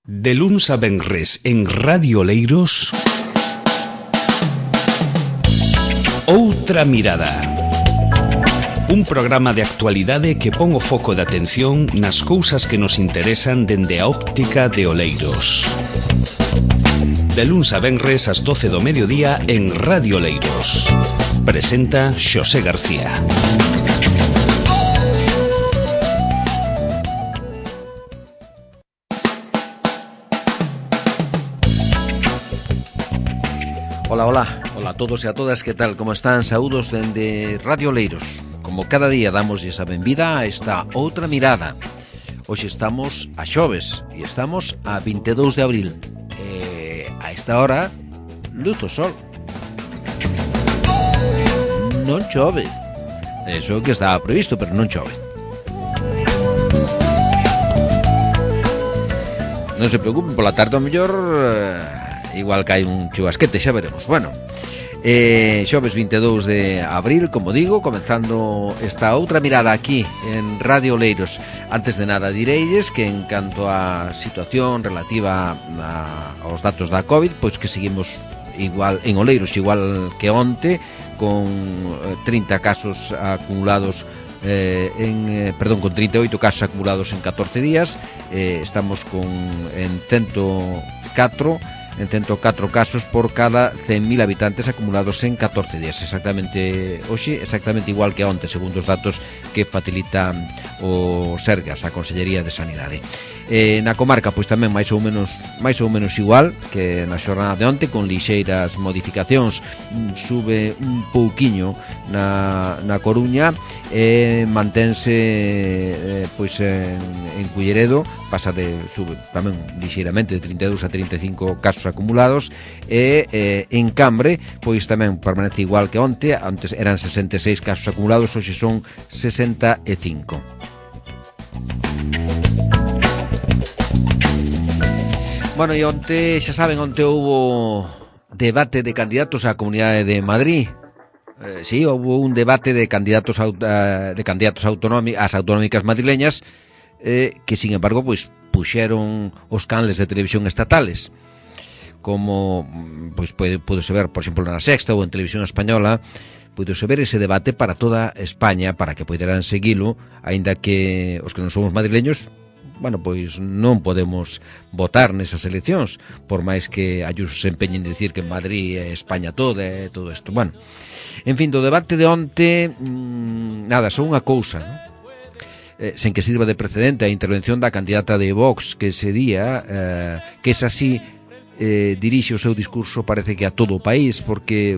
De luns a venres en Radio Oleiros, Outra Mirada. Un programa de actualidade que pon o foco de atención nas cousas que nos interesan dende a óptica de Oleiros. De luns a venres ás 12 do mediodía en Radio Oleiros. Presenta Xosé García. Hola a todos e a todas, que tal, como están? Saúdos dende Radio Oleiros. Como cada día damos esa benvida a esta Outra Mirada. Hoxe estamos a xoves e estamos a 22 de abril. A esta hora, luz o sol. Non chove. Eso que estaba previsto, pero non chove. Non se preocupen, pola tarde ao mellor igual que hai un chubasquete, xa veremos. Bueno, xoves 22 de abril, como digo, comenzando esta Outra Mirada aquí en Radio Oleiros. Antes de nada direilles que en canto á situación relativa aos datos da COVID, pois que seguimos igual en Oleiros, igual que onte, con 30 casos acumulados con 38 casos acumulados en 14 días. Estamos en 104 casos por cada 100.000 habitantes acumulados en 14 días. Exactamente igual que onte, segundo os datos que facilita o Sergas, a Consellería de Sanidade. Na comarca, pois tamén máis ou menos igual que na xornada de onte, con lixeiras modificacións. Sube un pouquiño na Coruña e mantense pois en Culleredo, sube tamén lixeiramente de 32 a 35 casos acumulados, e en Cambre pois tamén permanece igual que onte. Antes eran 66 casos acumulados, hoxe son 65. Bueno, e onte, xa saben, onte houbo debate de candidatos á Comunidade de Madrid. Sí, houve un debate de candidatos ás autonómicas madrileñas, que, sin embargo, pois puxeron os canles de televisión estatales. Como pois pudose ver, por exemplo, na Sexta ou en Televisión Española, pudose ver ese debate para toda España, para que poideran seguilo, aínda que os que non somos madrileños, bueno, pois non podemos votar nesas eleccións, por máis que Ayuso se empeñen en dicir que en Madrid é España toda e todo isto. Bueno, en fin, do debate de onte, nada, só unha cousa, non? Sen que sirva de precedente a intervención da candidata de Vox, que ese día, que es así, dirixe o seu discurso, parece que a todo o país, porque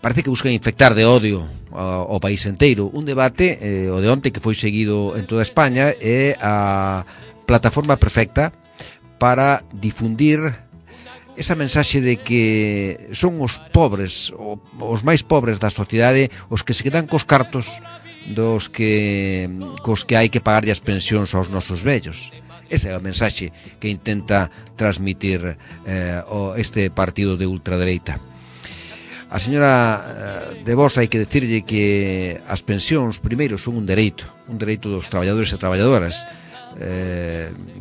parece que buscan infectar de odio ao país inteiro. Un debate, o de onte, que foi seguido en toda España, é a plataforma perfecta para difundir esa mensaxe de que son os pobres, os máis pobres da sociedade, os que se quedan cos cartos cos que hai que pagarlle as pensións aos nosos vellos. Esa é a mensaxe que intenta transmitir este partido de ultradereita. A señora de Vox, hai que decirlle que as pensións, primeiro, son un dereito dos traballadores e traballadoras,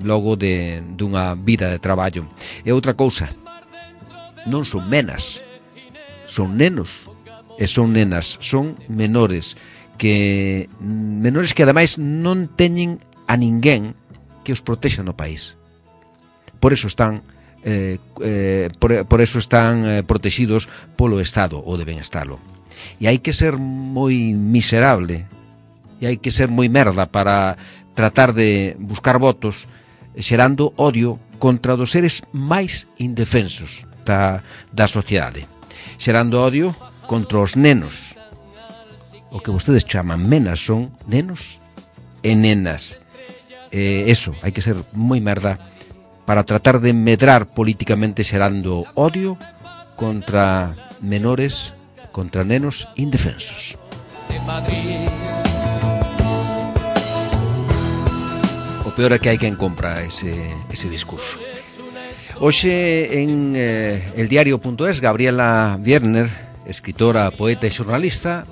logo dunha vida de traballo. E outra cousa, non son menas, son nenos e son nenas, son menores que ademais non teñen a ninguén que os protexa no país. Por eso están protegidos polo Estado, ou deben estalo. E hai que ser moi miserable, e hai que ser moi merda para tratar de buscar votos xerando odio contra dos seres máis indefensos da sociedade, xerando odio contra os nenos. O que vostedes chaman menas son nenos e nenas. Eso, hai que ser moi merda para tratar de medrar políticamente xerando odio contra menores, contra nenos indefensos. O peor é que hai quen compra ese discurso. Hoxe en eldiario.es, Gabriela Wierner, escritora, poeta e xornalista,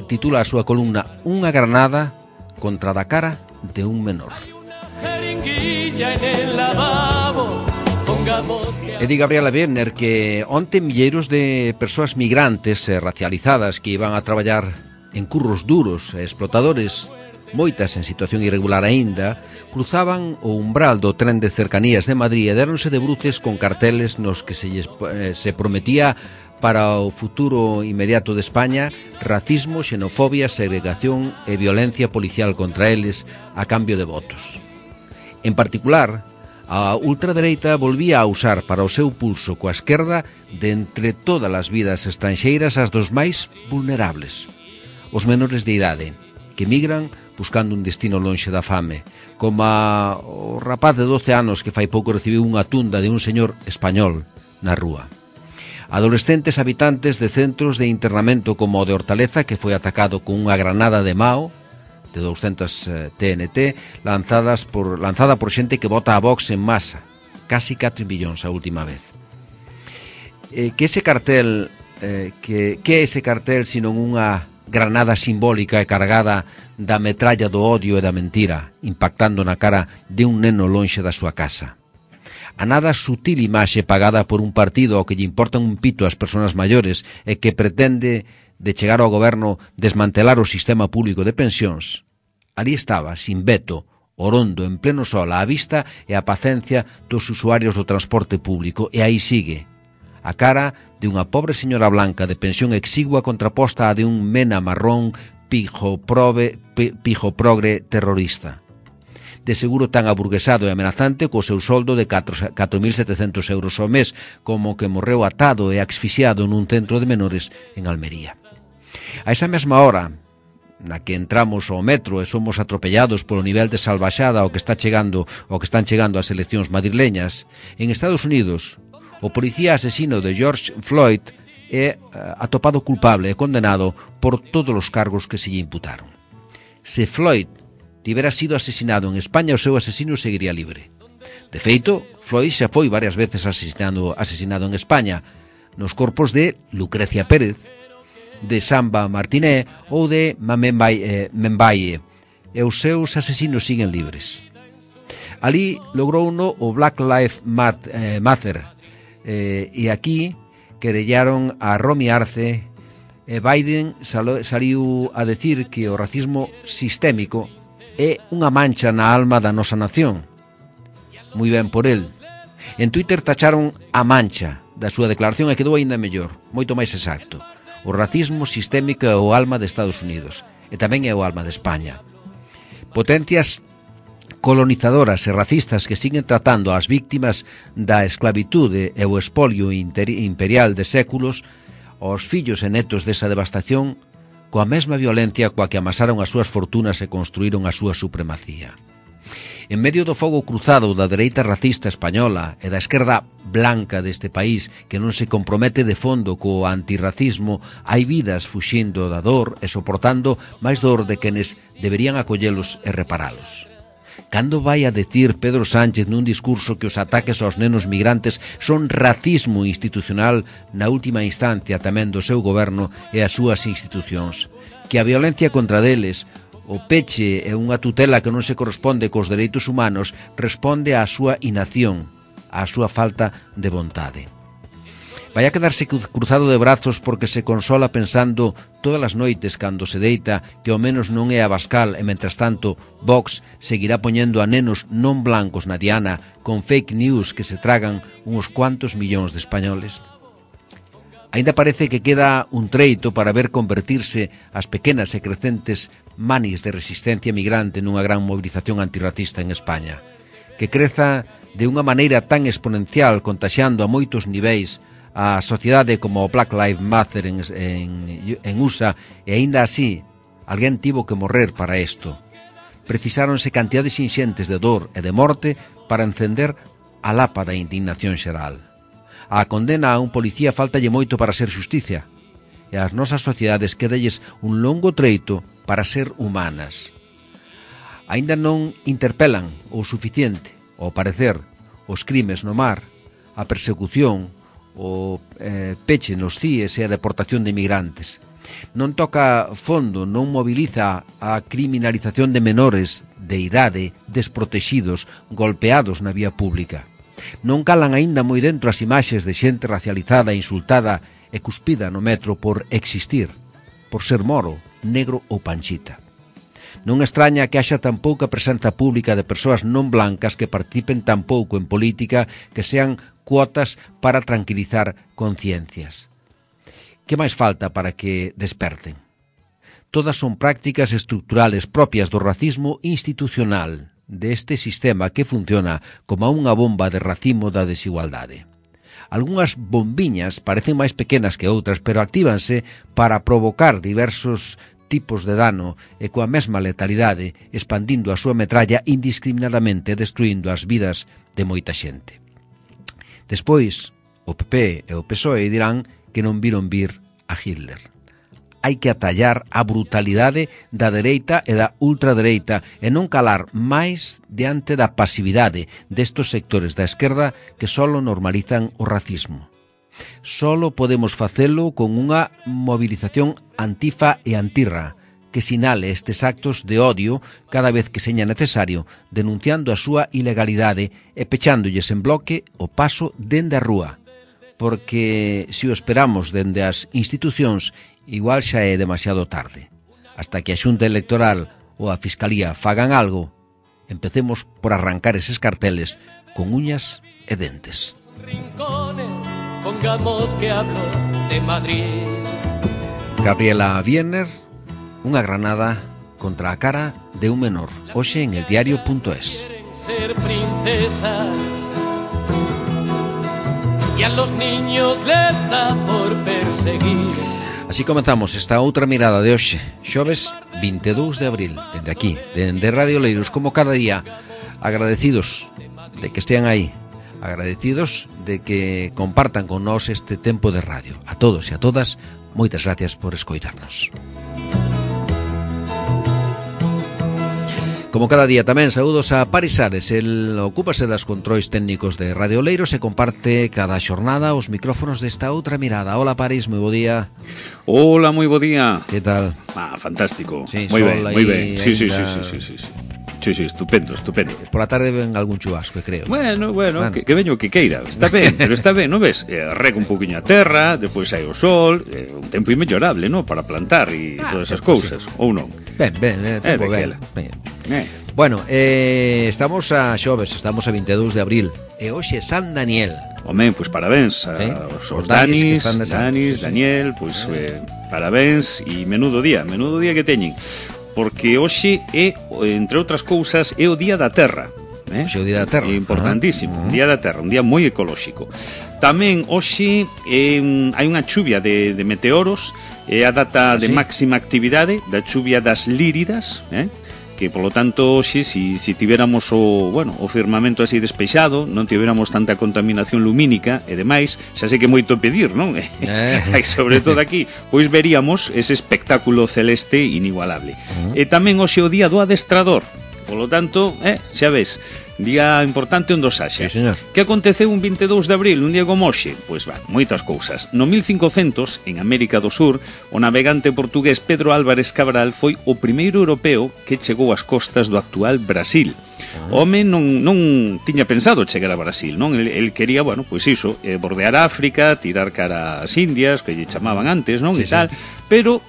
titula a súa columna "Unha granada contra da cara de un menor". botella en el lavabo. E di Gabriela Werner que onte milleiros de persoas migrantes racializadas que iban a traballar en curros duros e explotadores, moitas en situación irregular aínda, cruzaban o umbral do tren de cercanías de Madrid e deronse de bruces con carteles nos que se prometía para o futuro inmediato de España racismo, xenofobia, segregación e violencia policial contra eles a cambio de votos. En particular, a ultradereita volvía a usar para o seu pulso coa esquerda de entre todas as vidas estranxeiras as dos máis vulnerables, os menores de idade, que migran buscando un destino lonxe da fame, como o rapaz de 12 anos que fai pouco recibiu unha tunda de un señor español na rúa. Adolescentes habitantes de centros de internamento como o de Hortaleza, que foi atacado con unha granada de Mao, de 200 TNT, lanzada por xente que vota a Vox en masa, casi 4 millóns a última vez. Que ese cartel, que é ese cartel senón unha granada simbólica e cargada da metralla do odio e da mentira, impactando na cara de un neno lonxe da súa casa? A nada sutil imaxe pagada por un partido ao que lle importan un pito as persoas maiores e que pretende de chegar ao goberno desmantelar o sistema público de pensións. Ali estaba, sin veto, orondo, en pleno sol, a vista e a pacencia dos usuarios do transporte público, e aí sigue, a cara de unha pobre señora blanca de pensión exigua contraposta a de un mena marrón pijo progre terrorista. De seguro tan aburguesado e amenazante co seu soldo de 4.700 euros ao mes, como que morreu atado e asfixiado nun centro de menores en Almería. A esa mesma hora na que entramos ao metro e somos atropellados polo nivel de salvaxada ao que están chegando as eleccións madrileñas, en Estados Unidos, o policía asesino de George Floyd é atopado culpable e condenado por todos os cargos que se lle imputaron. Se Floyd tivera sido asesinado en España, o seu asesino seguiría libre. De feito, Floyd xa foi varias veces asesinado en España, nos corpos de Lucrecia Pérez, de Samba Martiné ou de Membaye, e os seus asesinos siguen libres. Ali logrouno o Black Lives Matter, e aquí querellaron a Romy Arce, e Biden saliu a decir que o racismo sistémico é unha mancha na alma da nosa nación. Moi ben por el. En Twitter tacharon a mancha da súa declaración e quedou aínda mellor, moito máis exacto. O racismo sistémico é o alma de Estados Unidos e tamén é o alma de España. Potencias colonizadoras e racistas que siguen tratando as víctimas da esclavitude e o espolio imperial de séculos, aos fillos e netos desa devastación, coa mesma violencia coa que amasaron as súas fortunas e construíron a súa supremacía. En medio do fogo cruzado da dereita racista española e da esquerda blanca deste país que non se compromete de fondo co antirracismo, hai vidas fuxindo da dor e soportando máis dor de quenes deberían acollelos e reparalos. Cando vai a decir Pedro Sánchez nun discurso que os ataques aos nenos migrantes son racismo institucional na última instancia tamén do seu goberno e as súas institucións, que a violencia contra deles, o peche e unha tutela que non se corresponde cos dereitos humanos responde á súa inacción, á súa falta de vontade. Vai a quedarse cruzado de brazos porque se consola pensando todas as noites cando se deita que ao menos non é Abascal e, mentras tanto, Vox seguirá poñendo a nenos non blancos na diana con fake news que se tragan uns cuantos millóns de españoles. Aínda parece que queda un treito para ver convertirse as pequenas e crecentes manis de resistencia migrante nunha gran movilización antirracista en España, que creza de unha maneira tan exponencial, contaxiando a moitos niveis a sociedade como o Black Lives Matter en USA, e aínda así, alguén tivo que morrer para isto. Precisáronse cantidades inxentes de dor e de morte para encender a lapa da indignación xeral. A condena a un policía faltalle moito para ser xusticia, e as nosas sociedades quedalles un longo treito para ser humanas. Aínda non interpelan o suficiente, ao parecer, os crimes no mar, a persecución, o peche nos CIES e a deportación de inmigrantes. Non toca fondo, non moviliza a criminalización de menores de idade desprotexidos, golpeados na vía pública. Non calan aínda moi dentro as imaxes de xente racializada, insultada e cuspida no metro por existir, por ser moro, negro ou panchita. Non extraña que haxa tan pouca presenza pública de persoas non blancas que participen tan pouco en política, que sean cuotas para tranquilizar conciencias. Que máis falta para que desperten? Todas son prácticas estructurales propias do racismo institucional, deste sistema que funciona como unha bomba de racimo da desigualdade. Algunhas bombiñas parecen máis pequenas que outras, pero actívanse para provocar diversos tipos de dano e coa mesma letalidade, expandindo a súa metralla indiscriminadamente, destruindo as vidas de moita xente. Despois, o PP e o PSOE dirán que non viron vir a Hitler. Hai que atallar a brutalidade da dereita e da ultradereita e non calar máis diante da pasividade destos sectores da esquerda que solo normalizan o racismo. Solo podemos facelo con unha movilización antifa e antirra que sinale estes actos de odio cada vez que seña necesario, denunciando a súa ilegalidade e pechándollles en bloque o paso dende a rúa. Porque se o esperamos dende as institucións, igual xa é demasiado tarde. Hasta que a Xunta Electoral ou a Fiscalía fagan algo, empecemos por arrancar eses carteles con uñas e dentes. Rincones, pongamos que hablo de Madrid. Gabriela Wiener, unha granada contra a cara de un menor. Hoxe en eldiario.es. Quieren ser princesas y a los niños les da por perseguir. Así comenzamos esta outra mirada de hoxe, xoves 22 de abril, dende aquí, dende Radio Oleiros, como cada día, agradecidos de que estean aí, agradecidos de que compartan con nós este tempo de radio. A todos e a todas, moitas gracias por escoitarnos. Como cada día tamén, saúdos a Paris Ares. El ocúpase das controis técnicos de Radio Oleiros e comparte cada xornada os micrófonos desta outra mirada. Hola Paris, moi bo día. Hola, moi bo día. Que tal? Fantástico. Sí, moi ben, moi ben. Sí, estupendo. Por la tarde ven algún chubasco, creo. Bueno, que veño que queira. Está ben, pero está ben, non ves? Rega un poquinho a terra, depois hai o sol, un tempo inmellorable, non? Para plantar e todas esas cousas, sí. Ou non? Ben, tempo ben. Bueno, estamos a xoves, estamos a 22 de abril e hoxe San Daniel. Home, pois parabéns aos Danis, Daniel, pois parabéns e menudo día que teñen. Porque hoxe é, entre outras cousas, é o Día da Terra. Hoxe é o Día da Terra. Importantísimo, Día da Terra, un día moi ecolóxico. Tamén hoxe hai unha chuvia de meteoros, é a data de máxima actividade da chuvia das Líridas, que polo tanto hoxe si tiveramos o firmamento así despexado, non tiveramos tanta contaminación lumínica e demais, xa sei que moito pedir, non? E sobre todo aquí, pois veríamos ese espectáculo celeste inigualable. E tamén hoxe o día do adestrador. Polo tanto, xa ves, día importante onde os haxa. Sí, señor. Que aconteceu un 22 de abril, un día como hoxe? Pois moitas cousas. No 1500, en América do Sur, o navegante portugués Pedro Álvarez Cabral foi o primeiro europeo que chegou ás costas do actual Brasil. O home non tiña pensado chegar a Brasil, non? El quería, pois iso, bordear África, tirar cara ás Indias, que lle chamaban antes, non? Sí, e tal. Pero,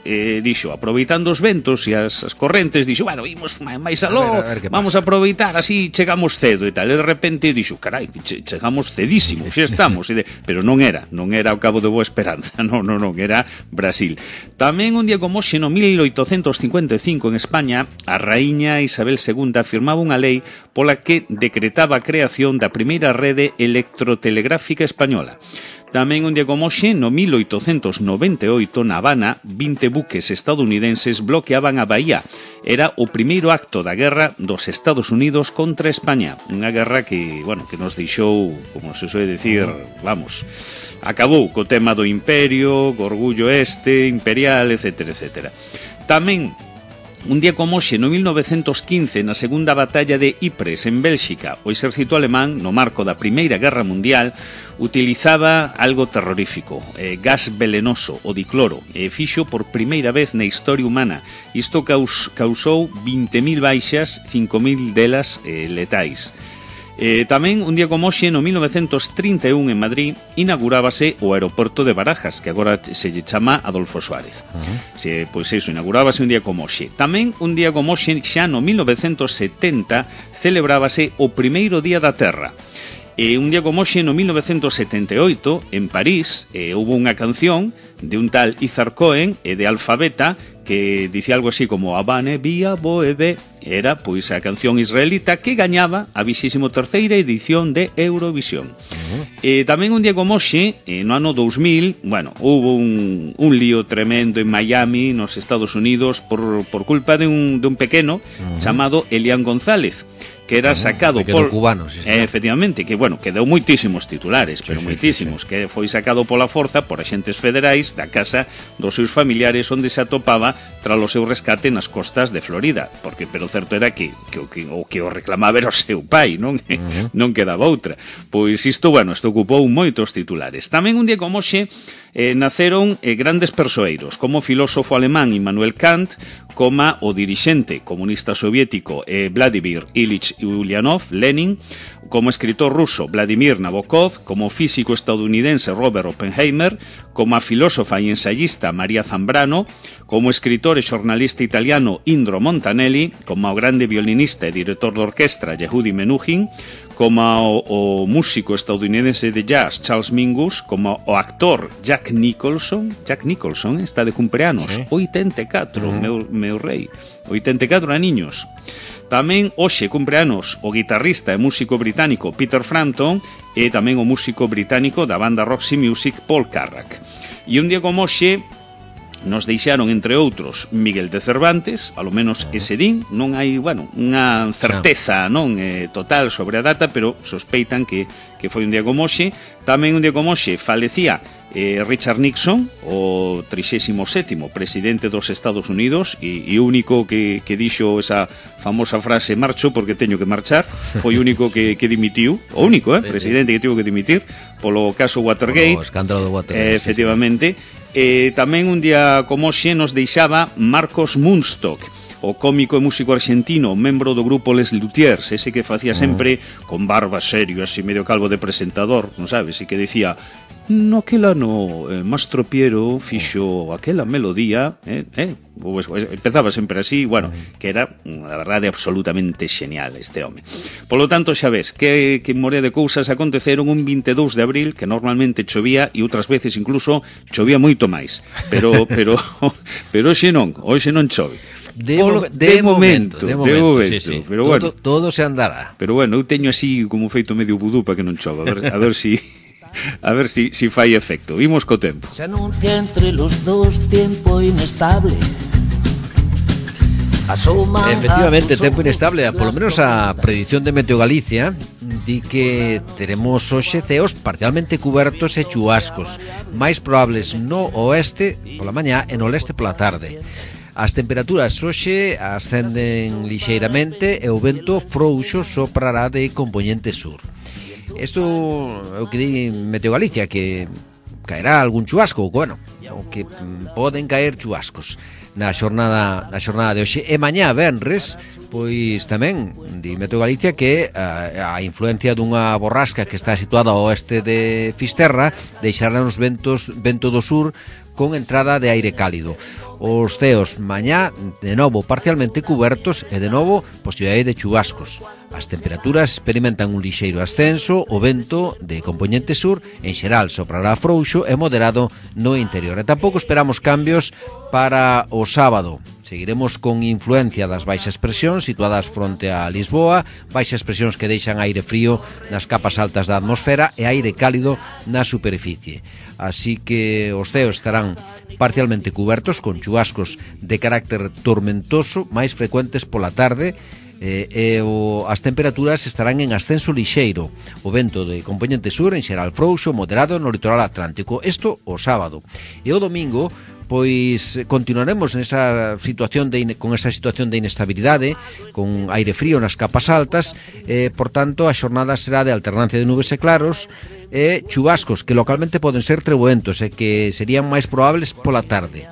dixo, aproveitando os ventos e as correntes, dixo, imos máis aló, vamos a aproveitar, así chegamos cedo e tal. E de repente dixo, carai, chegamos cedísimo, xa estamos. Pero non era o Cabo de Boa Esperanza, non, era Brasil. Tamén un día como hoxe, no 1855, en España, a raíña Isabel II firmaba unha lei pola que decretaba a creación da primeira rede electrotelegráfica española. Tamén un día como hoxe, no 1898, na Habana, 20 buques estadounidenses bloqueaban a Bahía. Era o primeiro acto da guerra dos Estados Unidos contra España. Unha guerra que nos deixou, como se soe decir, acabou co tema do imperio, co orgullo imperial, etcétera. Tamén Un día como hoxe, no 1915, na segunda batalla de Ypres, en Bélxica, o exército alemán, no marco da Primeira Guerra Mundial, utilizaba algo terrorífico, gas velenoso, o dicloro, e fixo por primeira vez na historia humana. Isto causou 20.000 baixas, 5.000 delas letais. Tamén, un día como hoxe, no 1931, en Madrid, inaugurábase o aeroporto de Barajas, que agora se lle chama Adolfo Suárez. Pois iso, inaugurábase un día como hoxe. Tamén, un día como hoxe, xa no 1970, celebrábase o primeiro Día da Terra. Un día como hoxe, no 1978, en París, houve unha canción de un tal Izar Cohen e de Alfabeta que dicía algo así como Habane Vía Boebe. Era, pois, a canción israelita que gañaba a 23ª edición de Eurovisión. Tamén un día como hoxe, no ano 2000, bueno, hubo un lío tremendo en Miami, nos Estados Unidos, por culpa de un pequeno chamado Elian González, que era sacado por cubano, sí, efectivamente, que bueno, que deu moitísimos titulares, pero moitísimos, que foi sacado pola forza por axentes federais da casa dos seus familiares onde se atopaba tras o seu rescate nas costas de Florida, pero o certo era que o reclamaba era o seu pai, non quedaba outra. Pois isto ocupou moitos titulares. Tamén un día como hoxe naceron grandes persoeiros, como o filósofo alemán Immanuel Kant, como o dirixente comunista soviético Vladimir Ilich Ulyanov, Lenin, como escritor ruso Vladimir Nabokov, como físico estadounidense Robert Oppenheimer, como a filósofa e ensayista María Zambrano, como escritor e xornalista italiano Indro Montanelli, como o grande violinista e director de orquestra Yehudi Menuhin, como o músico estadounidense de jazz Charles Mingus, como o actor Jack Nicholson está de cumpleanos, sí. 84, meu rei, 84 aniños. Tamén hoxe cumpleanos o guitarrista e músico británico Peter Frampton e tamén o músico británico da banda Roxy Music Paul Carrack. E un día como hoxe nos deixaron, entre outros, Miguel de Cervantes, alo menos ese din, non hai, unha certeza total sobre a data, pero sospeitan que foi un día como hoxe. Tamén un día como hoxe falecía Richard Nixon, o 37º presidente dos Estados Unidos e único que dixo esa famosa frase marcho porque teño que marchar, foi o único que dimitiu, o único presidente que tivo que dimitir polo caso Watergate, o escándalo de Watergate, efectivamente. Tamén un día como hoxe nos deixaba Marcos Munstock, o cómico e músico argentino, membro do grupo Les Luthiers, ese que facía sempre con barba serio, así medio calvo de presentador, non sabes, e que decía no aquel ano Mastro Piero fixo aquela melodía, pues, empezaba sempre así, que era, a verdade, absolutamente xenial este home. Polo tanto, xa ves, que morea de cousas aconteceron un 22 de abril, que normalmente chovía e outras veces incluso chovía moito máis, pero hoxe non chove. De momento, sí. Pero bueno, todo se andará. Pero bueno, eu teño así como feito medio vudú para que non chova, a ver si fai efecto. Vimos co tempo. Se anuncia entre los dos tiempo inestable. Efectivamente, tempo inestable. Por lo menos a predición de Meteo Galicia di que teremos hoxe ceos parcialmente cubertos e chubascos, máis probables no oeste pola mañá e no leste pola tarde. As temperaturas hoxe ascenden lixeiramente e o vento frouxo soprará de compoñente sur. Isto é o que di Meteo Galicia, que caerá algún chubasco, o que poden caer chubascos na xornada de hoxe. E mañá venres, pois tamén di Meteo Galicia que a influencia dunha borrasca que está situada ao oeste de Fisterra deixará os vento do sur con entrada de aire cálido. Os ceos mañá de novo parcialmente cubertos e de novo posibilidade de chubascos. As temperaturas experimentan un lixeiro ascenso, o vento de compoñente sur en xeral soprará frouxo e moderado no interior. E tampouco esperamos cambios para o sábado. Seguiremos con influencia das baixas presións situadas fronte a Lisboa, baixas presións que deixan aire frío nas capas altas da atmosfera e aire cálido na superficie. Así que os ceos estarán parcialmente cubertos con chubascos de carácter tormentoso máis frecuentes pola tarde, as temperaturas estarán en ascenso lixeiro. O vento de compoñente sur en xeral frouxo, moderado no litoral atlántico. Isto o sábado. E o domingo, pois continuaremos nesa situación con esa situación de inestabilidade, con aire frío nas capas altas, por tanto a xornada será de alternancia de nubes e claros e chubascos que localmente poden ser treboentos e que serían máis probables pola tarde.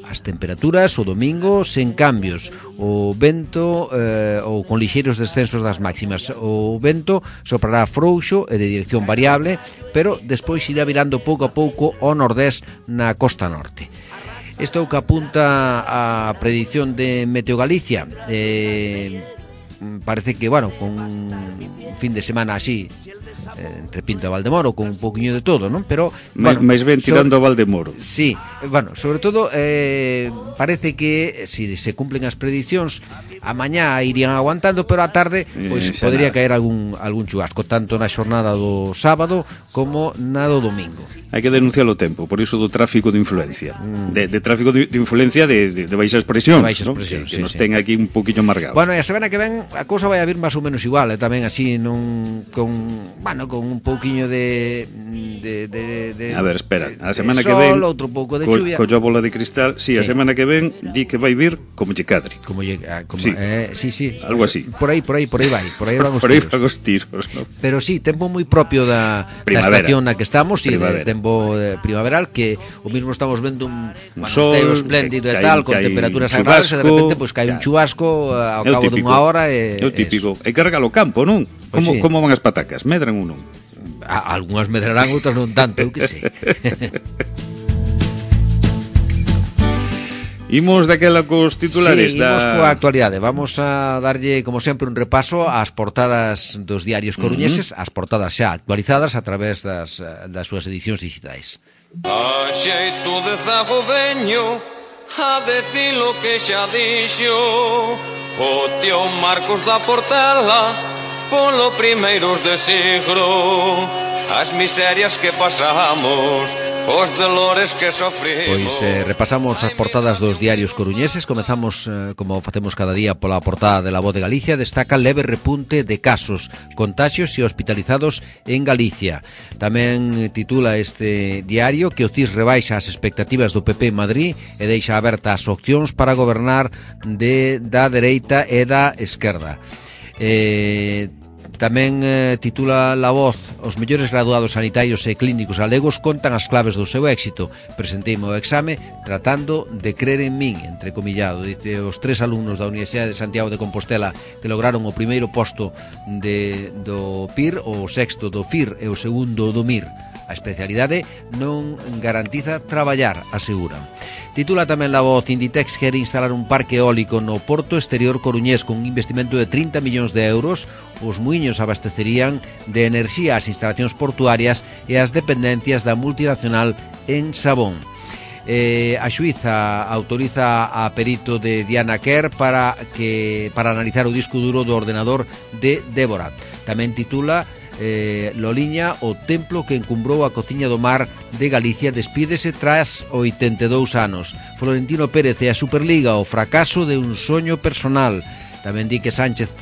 As temperaturas o domingo sen cambios, o vento ou con lixeiros descensos das máximas. O vento soprará frouxo e de dirección variable, pero despois irá virando pouco a pouco ao nordés na costa norte. Isto é o que apunta a predicción de Meteo Galicia. Parece que, bueno, con un fin de semana así entre Pinto e Valdemoro, con un poquinho de todo, non? Pero, bueno, máis ben tirando a Valdemoro. Sí, bueno, sobre todo parece que si se cumplen as prediccións, a mañá irían aguantando, pero a tarde pois podría caer algún chubasco, tanto na xornada do sábado como na do domingo. Hai que denunciar o tempo, por iso do tráfico de influencia. De tráfico de influencia de baixas presións, ¿no? Que nos ten aquí un poquinho amargados. Bueno, e a semana que ven a cousa vai a vir máis ou menos igual, tamén así con un pouquiño de a ver, espera, a semana sol, que ven outro pouco de chuvia. Colla bola de cristal, sí, a semana que ven di que vai vir como lle cadre. Sí, algo así. Por aí vai, por aí van os tiros, ¿no? Pero sí, tempo moi propio da estación na que estamos, e de tempo primaveral, que o mismo estamos vendo un sol espléndido e tal, con temperaturas agradables, e de repente pois cae un chubasco ao cabo dunha hora e é o típico. Hai que regar o campo, non? Como van as patacas? Medran ou non? Algunhas medrarán, outras non tanto, eu que sei. Imos daquela cos titulares. Sí, imos coa actualidade. Vamos a darlle, como sempre, un repaso ás portadas dos diarios coruñeses, as portadas xa actualizadas a través das súas edicións digitais. A xeito de zago veño a decir lo que xa dixo o tío Marcos da Portela polo primeiros de siglo, as miserias que pasamos, os dolores que sofrimos. Pois repasamos as portadas dos diarios coruñeses. Comezamos, como facemos cada día, pola portada de La Voz de Galicia. Destaca leve repunte de casos, contagios e hospitalizados en Galicia. Tamén titula este diario que o CIS rebaixa as expectativas do PP en Madrid e deixa abertas as opcións para gobernar da dereita e da esquerda. Tamén titula La Voz: os mellores graduados sanitarios e clínicos galegos contan as claves do seu éxito. Presenteime o exame tratando de crer en min, entrecomillado. Dice, os 3 alumnos da Universidade de Santiago de Compostela que lograron o primeiro posto do PIR, o sexto do FIR e o segundo do MIR. A especialidade non garantiza traballar, aseguran. Titula tamén La Voz: Inditex quere instalar un parque eólico no porto exterior coruñés con un investimento de 30 millóns de euros. Os muiños abastecerían de enerxía as instalacións portuarias e as dependencias da multinacional en Sabón. A xuíza autoriza a perito de Diana Kerr para analizar o disco duro do ordenador de Débora. Tamén titula Loliña, o templo que encumbrou a cociña do mar de Galicia, despídese tras 82 anos. Florentino Pérez e a Superliga, o fracaso de un soño personal. Tamén di que Sánchez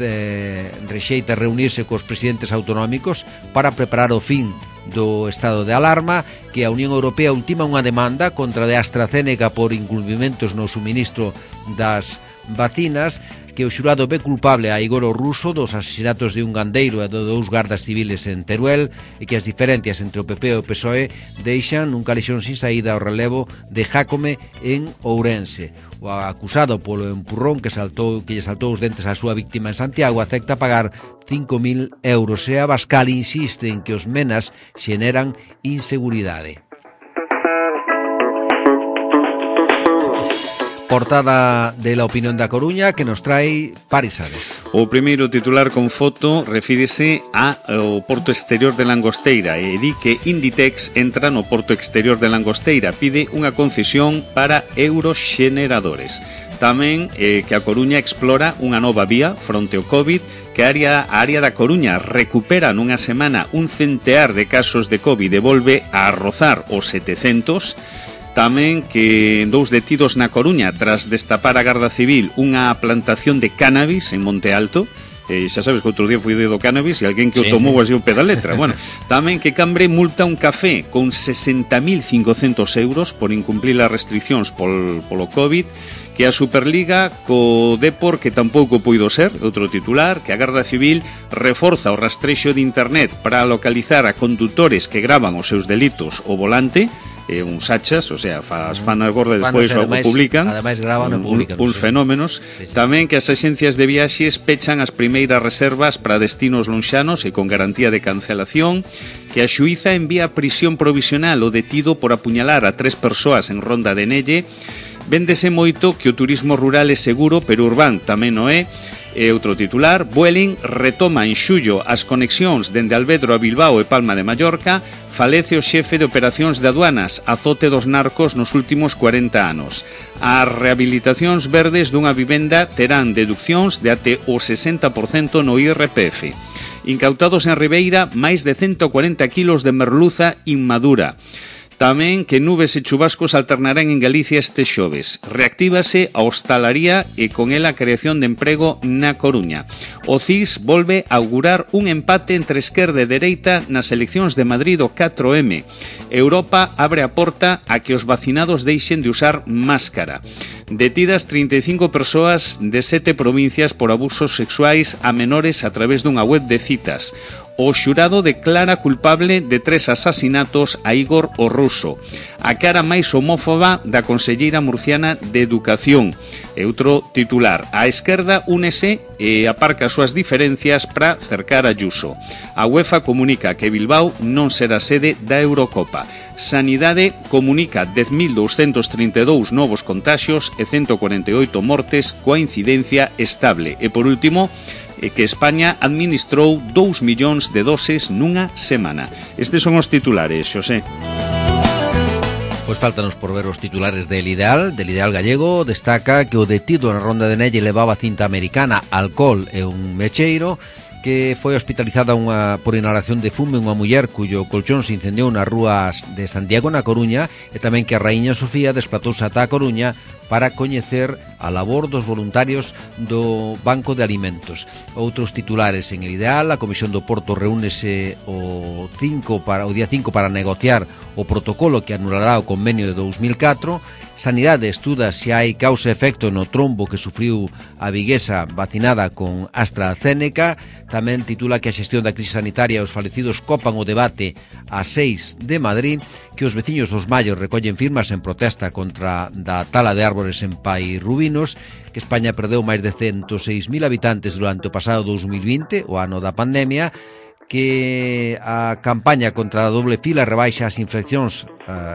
rexeita reunirse cos presidentes autonómicos para preparar o fin do estado de alarma, que a Unión Europea ultima unha demanda contra de AstraZeneca por incumprimentos no suministro das vacinas, que o xurado ve culpable a Igor o Ruso dos asesinatos de un gandeiro e de 2 gardas civiles en Teruel, e que as diferencias entre o PP e o PSOE deixan un calexón sin saída ao relevo de Jácome en Ourense. O acusado polo empurrón que lle saltou os dentes á súa víctima en Santiago acepta pagar 5.000 euros e Abascal insiste en que os menas xeneran inseguridade. Portada de La Opinión da Coruña que nos trae Paris Ares. O primeiro titular con foto refírese ao porto exterior de Langosteira e di que Inditex entra no porto exterior de Langosteira, pide unha concesión para euroxeneradores. Tamén que a Coruña explora unha nova vía fronte ao COVID, que a área da Coruña recupera nunha semana un centear de casos de COVID e volve a rozar os 700. Tamén que 2 detidos na Coruña tras destapar a Garda Civil unha plantación de cannabis en Monte Alto. xa sabes que outro día fui do cannabis e alguén que o tomou así o pé da letra. Bueno, tamén que Cambre multa un café con 60.500 euros por incumplir as restriccións polo COVID, que a Superliga co Depor, que tampouco puido ser, outro titular, que a Garda Civil reforza o rastrexo de internet para localizar a condutores que gravan os seus delitos ao volante, uns hachas, o sea, fan as gordas e despois o publican. Ademais gravan e publican. Uns fenómenos. Sí. Tamén que as axencias de viaxes pechan as primeiras reservas para destinos lonxanos e con garantía de cancelación, que a xuíza envía a prisión provisional o detido por apuñalar a 3 persoas en Ronda de Nelle. Véndese moito que o turismo rural é seguro, pero urbán tamén o é. E outro titular, Vueling retoma en xullo as conexións dende Alvedro a Bilbao e Palma de Mallorca, falece o xefe de operacións de aduanas, azote dos narcos nos últimos 40 anos. As rehabilitacións verdes dunha vivenda terán deduccións de até o 60% no IRPF. Incautados en Ribeira máis de 140 kilos de merluza inmadura. Tamén que nubes e chubascos alternarán en Galicia este xoves. Reactívase a hostalaría e con ela a creación de emprego na Coruña. O CIS volve a augurar un empate entre esquerda e dereita nas eleccións de Madrid do 4M. Europa abre a porta a que os vacinados deixen de usar máscara. Detidas 35 persoas de 7 provincias por abusos sexuais a menores a través dunha web de citas. O xurado declara culpable de 3 asasinatos a Igor o Ruso. A cara máis homófoba da conselleira murciana de Educación. E outro titular, a esquerda únese e aparca as súas diferencias para cercar a Ayuso. A UEFA comunica que Bilbao non será sede da Eurocopa. Sanidade comunica 10.232 novos contaxios e 148 mortes coa incidencia estable. E por último, que España administrou 2 millóns de doses nunha semana. Estes son os titulares, Xosé. Pois faltanos por ver os titulares del Ideal gallego. Destaca que o detido na Ronda de Nelle levaba cinta americana, alcohol e un mecheiro, que foi hospitalizada por inhalación de fume unha muller cuyo colchón se incendiou nas rúas de Santiago, na Coruña, e tamén que a raíña Sofía desplatouse ata a Coruña para coñecer a labor dos voluntarios do Banco de Alimentos. Outros titulares en el Ideal: a Comisión do Porto reúnese o día 5 para negociar o protocolo que anulará o convenio de 2004. Sanidade estuda se hai causa e efecto no trombo que sufriu a viguesa vacinada con AstraZeneca. Tamén titula que a xestión da crise sanitaria e os falecidos copan o debate a 6 de Madrid, que os veciños dos Mallos recollen firmas en protesta contra da tala de árbores en Pai Rubinos, que España perdeu máis de 106.000 habitantes durante o pasado 2020, o ano da pandemia, que a campaña contra a doble fila rebaixa as infeccións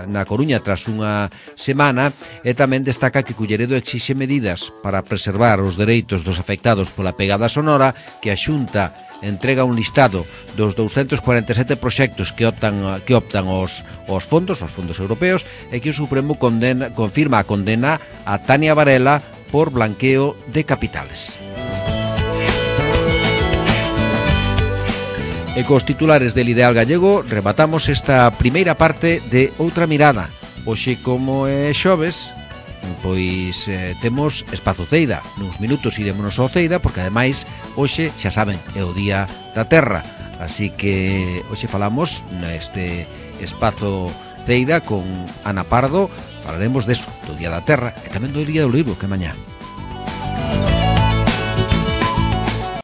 na Coruña tras unha semana, e tamén destaca que Culleredo exixe medidas para preservar os dereitos dos afectados pola pegada sonora, que a Xunta entrega un listado dos 247 proxectos que optan aos fondos europeos, e que o Supremo confirma a condena a Tania Varela por blanqueo de capitales. E cos titulares del Ideal gallego rematamos esta primeira parte de Outra Mirada. Hoxe, como é xoves, pois temos Espazo Ceida. Nuns minutos iremos ao Ceida, porque ademais hoxe, xa saben, é o Día da Terra. Así que hoxe falamos neste Espazo Ceida con Ana Pardo. Falaremos deso, do Día da Terra e tamén do Día do Libro, que mañá.